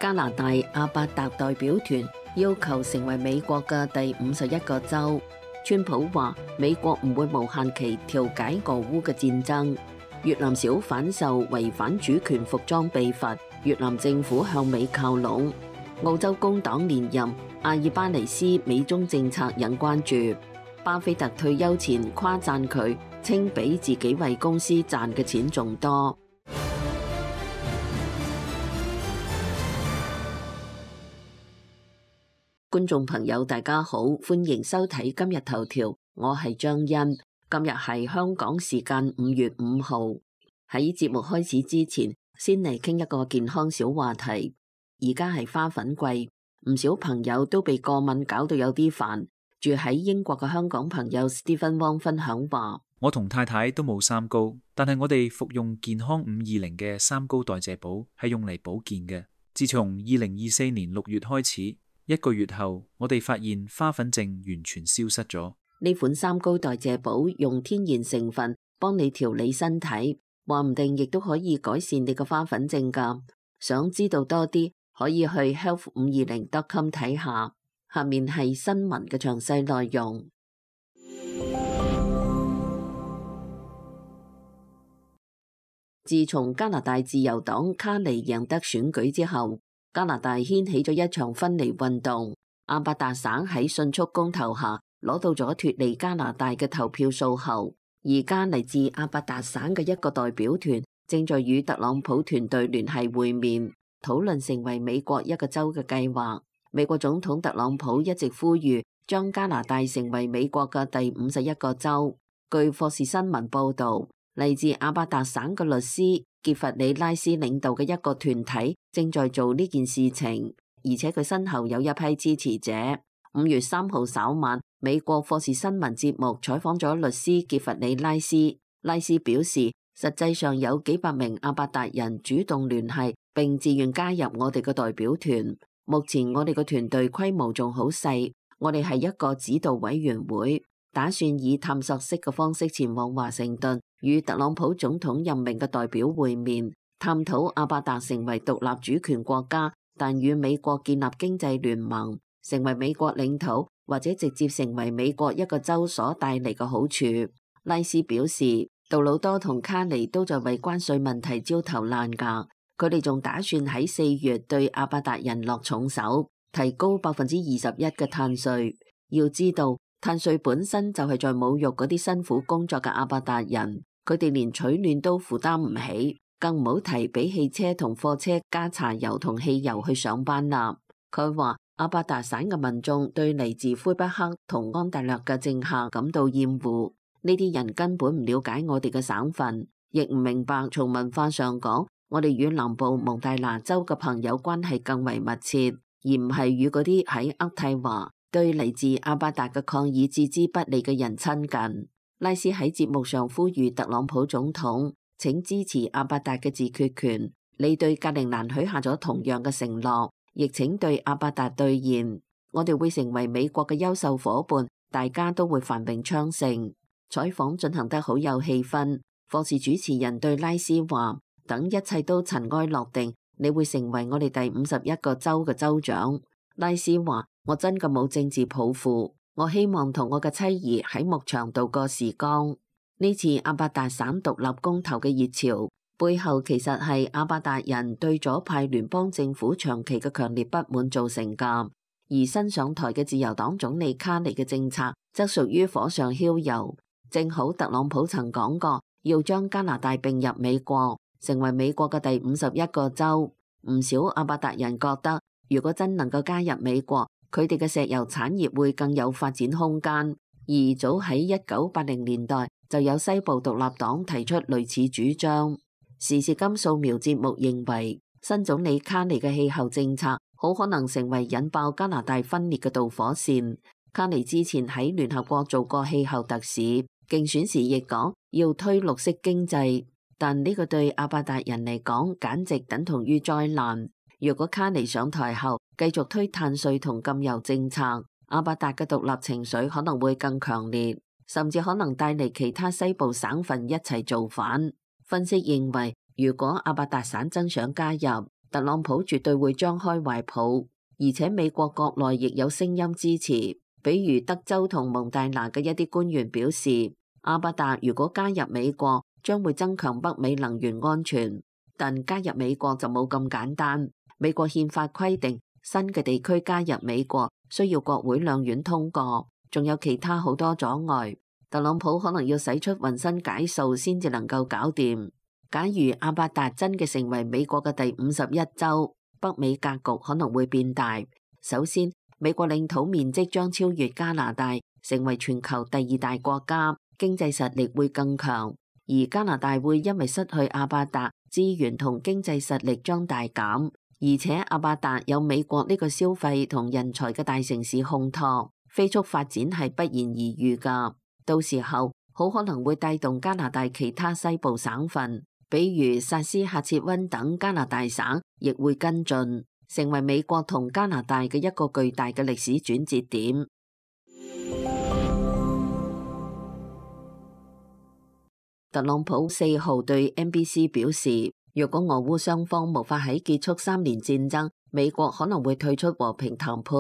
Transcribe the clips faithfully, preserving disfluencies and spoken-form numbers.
加拿大阿伯達代表團要求成為美國嘅第五十一個州。川普話美國唔會無限期調解俄烏嘅戰爭。越南小販售違反主權服裝被罰，越南政府向美靠攏。澳洲工黨連任，阿爾巴尼斯美中政策引關注。巴菲特退休前誇讚佢，稱比自己為公司賺嘅錢仲多。觀眾朋友大家好，歡迎收睇今日頭條，我係張欣。今日係香港時間五月五號。喺節目開始之前，先嚟傾一個健康小話題。而家係花粉季，唔少朋友都被過敏搞到有啲煩。住喺英國嘅香港朋友 Stephen Wong 分享話：我同太太都冇三高，但係我哋服用健康五二零嘅三高代謝寶係用嚟保健嘅。自從二零二四年六月開始，一個月後，我哋發現花粉症完全消失咗。呢款三高代謝寶用天然成分幫你調理身體，話唔定亦都可以改善你嘅花粉症㗎。想知道多啲，可以去 health 五二零 dot com 睇下。下面係新聞嘅詳細內容。自從加拿大自由黨卡尼贏得選舉之後，加拿大掀起咗一場分離運動。阿伯達省喺迅速公投下攞到咗脫離加拿大嘅投票數後，而家嚟自阿伯達省嘅一個代表團正在與特朗普團隊聯繫會面，討論成為美國一個州嘅計劃。美國總統特朗普一直呼籲將加拿大成為美國嘅第五十一個州。據霍士新聞報道，嚟自阿伯達省嘅律師傑弗里拉斯領導嘅一個團體正在做呢件事情，而且佢身後有一批支持者。五月三號稍晚，美國霍士新聞節目採訪咗律師傑弗里拉斯，拉斯表示，實際上有幾百名阿伯達人主動聯繫並自願加入我哋嘅代表團。目前我哋個團隊規模仲好細，我哋係一個指導委員會，打算以探索式嘅方式前往華盛頓，與特朗普總統任命嘅代表會面，探討阿伯達成為獨立主權國家，但與美國建立經濟聯盟，成為美國領土或者直接成為美國一個州所帶嚟嘅好處。拉斯表示，杜魯多同卡尼都在為關稅問題焦頭爛額。佢哋仲打算喺四月對阿伯達人落重手，提高百分之二十一嘅碳稅。要知道，碳稅本身就係在侮辱嗰啲辛苦工作嘅阿伯達人，佢哋連取暖都負擔唔起，更唔好提俾汽車同貨車加柴油同汽油去上班啦。佢話阿伯達省嘅民眾對嚟自魁北克同安大略嘅政客感到厭惡，呢啲人根本唔了解我哋嘅省份，亦唔明白從文化上講，我哋與南部蒙大拿州嘅朋友關係更為密切，而唔係與嗰啲喺渥太華對嚟自阿伯達嘅抗議置之不理嘅人親近。拉斯喺節目上呼籲特朗普總統，請支持阿伯達嘅自決權。你對格陵蘭許下咗同樣嘅承諾，亦請對阿伯達兌現。我哋會成為美國嘅優秀夥伴，大家都會繁榮昌盛。採訪進行得好有氣氛。霍士主持人對拉斯話：等一切都塵埃落定，你會成為我哋第五十一個州嘅州長。拉斯話：我真嘅冇政治抱負，我希望同我嘅妻兒喺牧場度過時光。呢次阿伯達省獨立公投嘅熱潮，背後其實係阿伯達人對左派聯邦政府長期嘅強烈不滿造成㗎。而新上台嘅自由黨總理卡尼嘅政策則屬於火上澆油。正好特朗普曾講過，要將加拿大並入美國，成為美國嘅第五十一個州。唔少阿伯達人覺得，如果真能夠加入美國，佢哋嘅石油產業會更有發展空間。而早喺一九八零年代就有西部獨立黨提出類似主張。時事金掃描節目認為，新總理卡尼嘅氣候政策好可能成為引爆加拿大分裂嘅導火線。卡尼之前喺聯合國做過氣候特使，競選時亦講要推綠色經濟，但呢個對阿伯達人嚟講簡直等同於災難。如果卡尼上台後繼續推碳稅同禁油政策，阿伯達嘅獨立情緒可能會更強烈，甚至可能帶嚟其他西部省份一齊造反。分析認為，如果阿伯達省真想加入，特朗普絕對會張開懷抱，而且美國國內亦有聲音支持，比如德州同蒙大拿嘅一啲官員表示，阿巴達如果加入美國，將會增強北美能源安全。但加入美國就冇咁簡單，美國憲法規定新嘅地區加入美國需要國會兩院通過，仲有其他好多阻礙。特朗普可能要使出渾身解數先至能夠搞掂。假如阿巴達真嘅成為美國嘅第五十一州，北美格局可能會變大。首先，美國領土面積將超越加拿大，成為全球第二大國家，經濟實力會更強。而加拿大會因為失去阿巴達，資源同經濟實力將大減，而且阿巴達有美國呢個消費同人才嘅大城市烘托，飛速發展係不言而喻噶。到時候好可能會帶動加拿大其他西部省份，比如薩斯喀徹溫等加拿大省，亦會跟進，成為美國同加拿大嘅一個巨大嘅歷史轉折點。特朗普四號對 N B C 表示，若果俄烏雙方無法喺結束三年戰爭，美國可能會退出和平談判。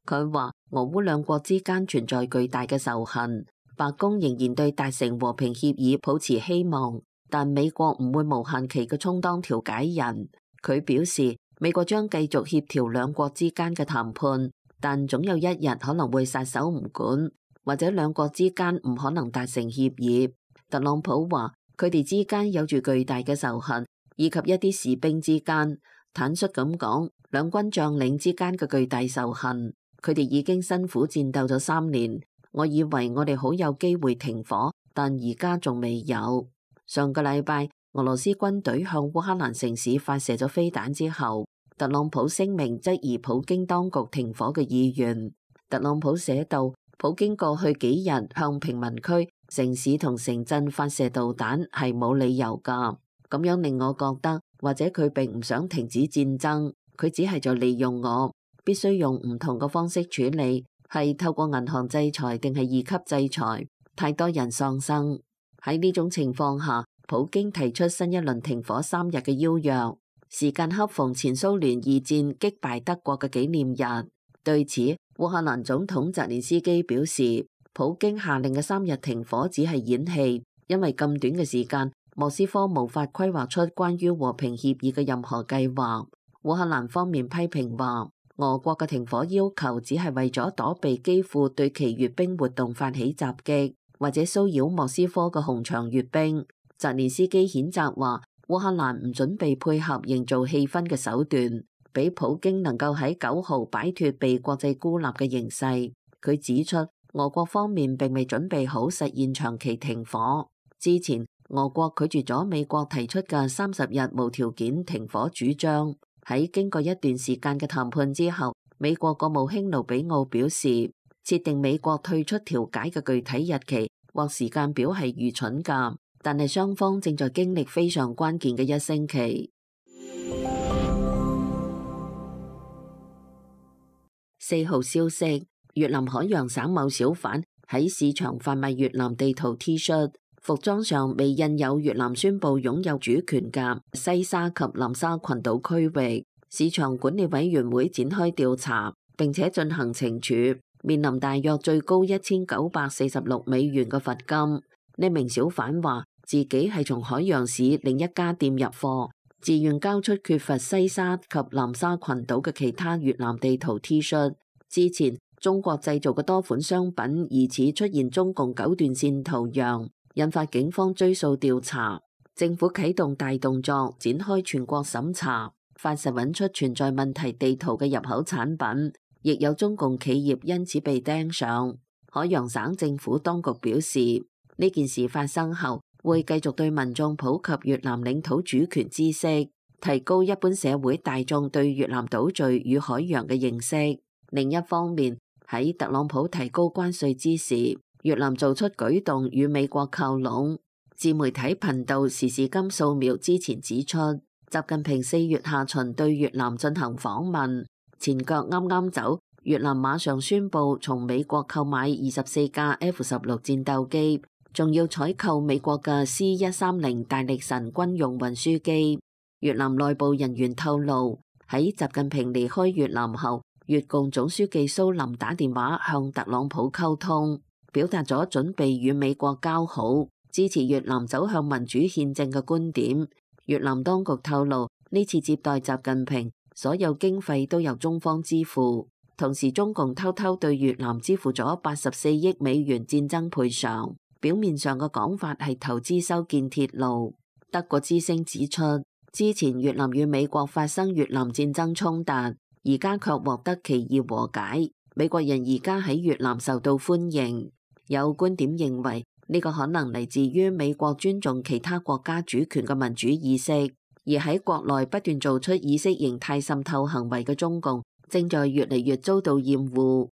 佢話俄烏兩國之間存在巨大嘅仇恨，白宮仍然對達成和平協議抱持希望，但美國唔會無限期嘅充當調解人。佢表示，美國將繼續協調兩國之間嘅談判，但總有一日可能會撒手唔管，或者兩國之間唔可能達成協議。特朗普話佢哋之間有住巨大嘅仇恨，以及一啲士兵之間，坦率咁講，兩軍將領之間嘅巨大仇恨，佢哋已經辛苦戰鬥咗三年。我以為我哋好有機會停火，但而家仲未有。上個禮拜，俄羅斯軍隊向烏克蘭城市發射咗飛彈之後，特朗普聲明質疑普京當局停火嘅意願。特朗普寫道，普京過去幾日向平民區、城市同城鎮發射導彈係冇理由㗎，咁樣令我覺得，或者佢並唔想停止戰爭，佢只係在利用我，必須用唔同嘅方式處理，係透過銀行制裁定係二級制裁，太多人喪生。喺呢種情況下，普京提出新一輪停火三日嘅邀約，時間恰逢前蘇聯二戰擊敗德國嘅紀念日。對此，烏克蘭總統澤連斯基表示，普京下令嘅三日停火只係演戲，因為咁短嘅時間，莫斯科無法規劃出關於和平協議嘅任何計劃。烏克蘭方面批評話，俄國嘅停火要求只係為咗躲避基輔對其閱兵活動發起襲擊，或者騷擾莫斯科嘅紅場閱兵。澤連斯基譴責話，烏克蘭唔準備配合營造氣氛嘅手段，俾普京能夠喺九號擺脫被國際孤立嘅形勢。佢指出，俄國方面並未準備好實現長期停火。之前，俄國拒絕咗美國提出嘅三十日無條件停火主張。喺經過一段時間嘅談判之後，美國國務卿盧比奧表示，設定美國退出調解嘅具體日期或時間表係愚蠢㗎，但係雙方正在經歷非常關鍵嘅一星期。四號消息，越南海洋省某小販喺市場販賣越南地圖 T 恤，服裝上未印有越南宣布擁有主權嘅西沙及南沙群島區域。市場管理委員會展開調查，並且進行懲處，面臨大約最高一千九百四十六美元嘅罰金。呢名小販話自己係從海洋市另一家店入貨，自願交出缺乏西沙及南沙群島嘅其他越南地圖 T 恤。之前中國製造嘅多款商品疑似出現中共九段線圖樣，引發警方追訴調查。政府啟動大動作，展開全國審查，發實揾出存在問題地圖嘅入口產品，亦有中共企業因此被盯上。海洋省政府當局表示，呢件事發生後，會繼續對民眾普及越南領土主權知識，提高一般社會大眾對越南島嶼與海洋嘅認識。另一方面，喺特朗普提高關稅之時，越南做出舉動與美國靠攏。自媒體頻道時事金掃描之前指出，習近平四月下旬對越南進行訪問，前腳啱啱走，越南馬上宣布從美國購買二十四架 F 十六戰鬥機，仲要採購美國嘅 C 一三零大力神軍用運輸機。越南內部人員透露，喺習近平離開越南後，越共總書記蘇林打電話向特朗普溝通，表達咗準備與美國交好，支持越南走向民主憲政嘅觀點。越南當局透露，呢次接待習近平，所有經費都由中方支付，同時中共偷偷對越南支付咗八十四億美元戰爭賠償。表面上嘅講法係投資修建鐵路。德國之聲指出，之前越南與美國發生越南戰爭衝突，而家卻獲得期義和解。美國人而家喺越南受到歡迎。有觀點認為，呢個可能嚟自於美國尊重其他國家主權嘅民主意識，而喺國內不斷做出意識形態滲透行為嘅中共，正在越嚟越遭到厭惡。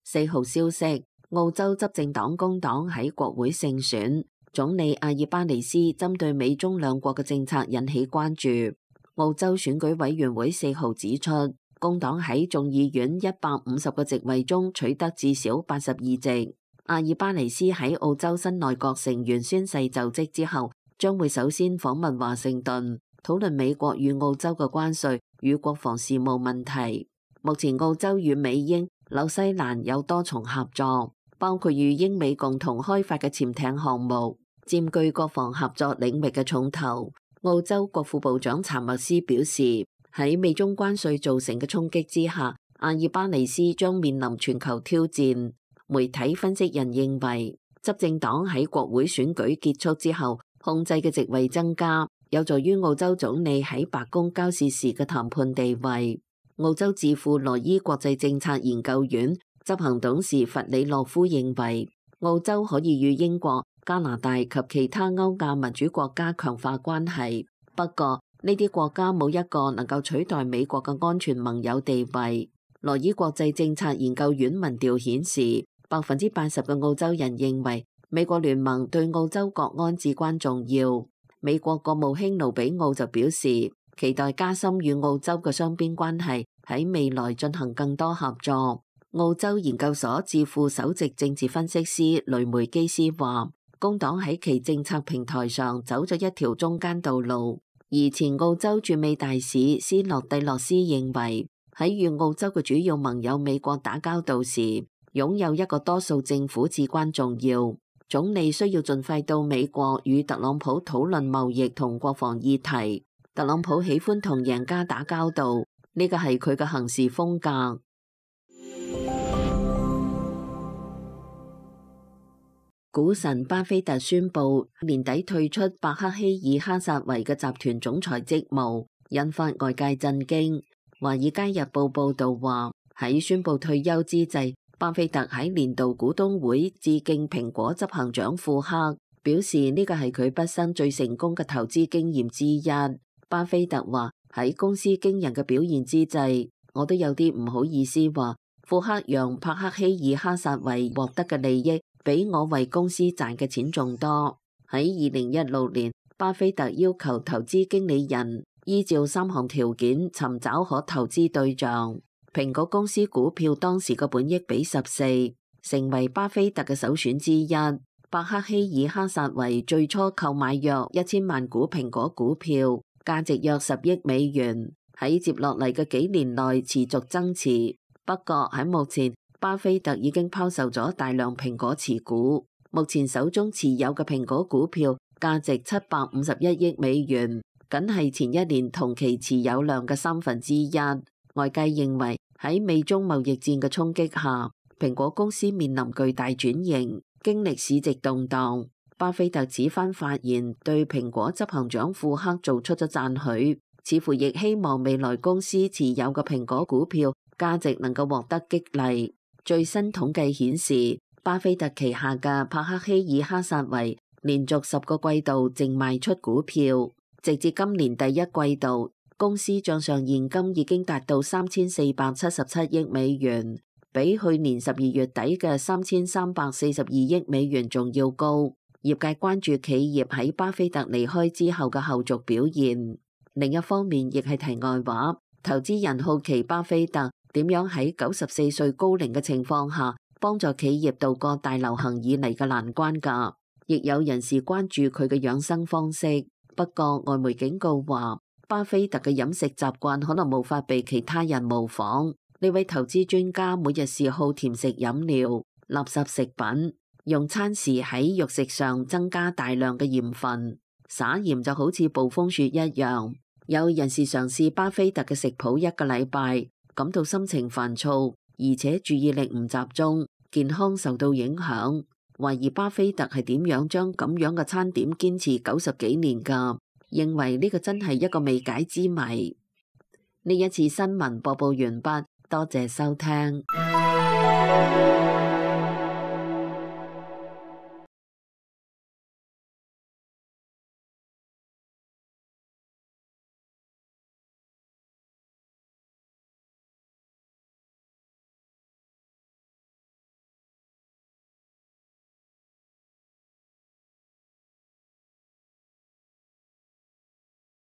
四號消息，澳洲執政黨工黨喺國會勝選，總理阿爾巴尼斯針對美中兩國嘅政策引起關注。澳洲選舉委員會四號指出，工黨喺眾議院一百五十個席位中取得至少八十二席。阿爾巴尼斯喺澳洲新內閣成員宣誓就職之後，將會首先訪問華盛頓，討論美國與澳洲嘅關稅與國防事務問題。目前澳洲與美英、紐西蘭有多重合作，包括與英美共同開發嘅潛艇項目，佔據國防合作領域嘅重頭。澳洲國副部長查默斯表示，喺美中關稅造成嘅衝擊之下，阿爾巴尼斯將面臨全球挑戰。媒體分析人認為，執政黨喺國會選舉結束之後控制嘅席位增加，有助於澳洲總理喺白宮交涉時嘅談判地位。澳洲智庫羅伊國際政策研究院執行董事弗里洛夫認為，澳洲可以與英國、加拿大及其他歐亞民主國家強化關係，不過呢啲國家冇一個能夠取代美國嘅安全盟友地位。羅伊國際政策研究院民調顯示，百分之八十嘅澳洲人認為美國聯盟對澳洲國安至關重要。美國國務卿盧比奧就表示，期待加深與澳洲嘅雙邊關係，喺未來進行更多合作。澳洲研究所智庫首席政治分析師雷梅基斯話，工黨喺其政策平台上走咗一條中間道路。而前澳洲駐美大使斯諾蒂洛斯認為，喺與澳洲嘅主要盟友美國打交道時，擁有一個多數政府至關重要。總理需要盡快到美國與特朗普討論貿易同國防議題。特朗普喜歡同贏家打交道，呢個係佢嘅行事風格。股神巴菲特宣布年底退出伯克希爾哈薩維嘅集團總裁職務，引發外界震驚。華爾街日報報道話，喺宣布退休之際，巴菲特喺年度股東會致敬蘋果執行長庫克，表示呢個係佢畢生最成功嘅投資經驗之一。巴菲特話，喺公司驚人嘅表現之際，我都有啲唔好意思話，庫克讓伯克希爾哈薩維獲得嘅利益比我為公司賺嘅錢仲多。喺二零一六年，巴菲特要求投資經理人依照三項條件尋找可投資對象。蘋果公司股票當時嘅本益比十四，成為巴菲特嘅首選之一。伯克希爾哈薩維最初購買約一千萬股蘋果股票，價值約十億美元，喺接落嚟嘅幾年內持續增持。不過喺目前，巴菲特已經拋售咗大量蘋果持股，目前手中持有嘅蘋果股票價值七百五十一億美元，僅係前一年同期持有量嘅三分之一。外界認為喺美中貿易戰嘅衝擊下，蘋果公司面臨巨大轉型，經歷市值動盪。巴菲特此番發言對蘋果執行長庫克做出咗讚許，似乎亦希望未來公司持有嘅蘋果股票價值能夠獲得激勵。最新統計顯示，巴菲特旗下嘅伯克希爾哈薩維連續十個季度淨賣出股票，直至今年第一季度，公司賬上現金已經達到三千四百七十七億美元，比去年十二月底嘅三千三百四十二億美元仲要高。業界關注企業喺巴菲特離開之後嘅後續表現。另一方面，亦係題外話，投資人好奇巴菲特點樣喺九十四歲高齡嘅情況下，幫助企業渡過大流行以嚟嘅難關㗎。亦有人士關注佢嘅養生方式。不過外媒警告話，巴菲特嘅飲食習慣可能無法被其他人模仿。呢位投資專家每日嗜好甜食飲料、垃圾食品，用餐時喺肉食上增加大量嘅鹽分，撒鹽就好似暴風雪一樣。有人士嘗試巴菲特嘅食譜一個禮拜，感到心情煩躁，而且注意力唔集中，健康受到影響。懷疑巴菲特係點樣將咁樣嘅餐點堅持九十幾年㗎，認為呢個真係一個未解之謎。呢一次新聞播報完畢，多謝收聽。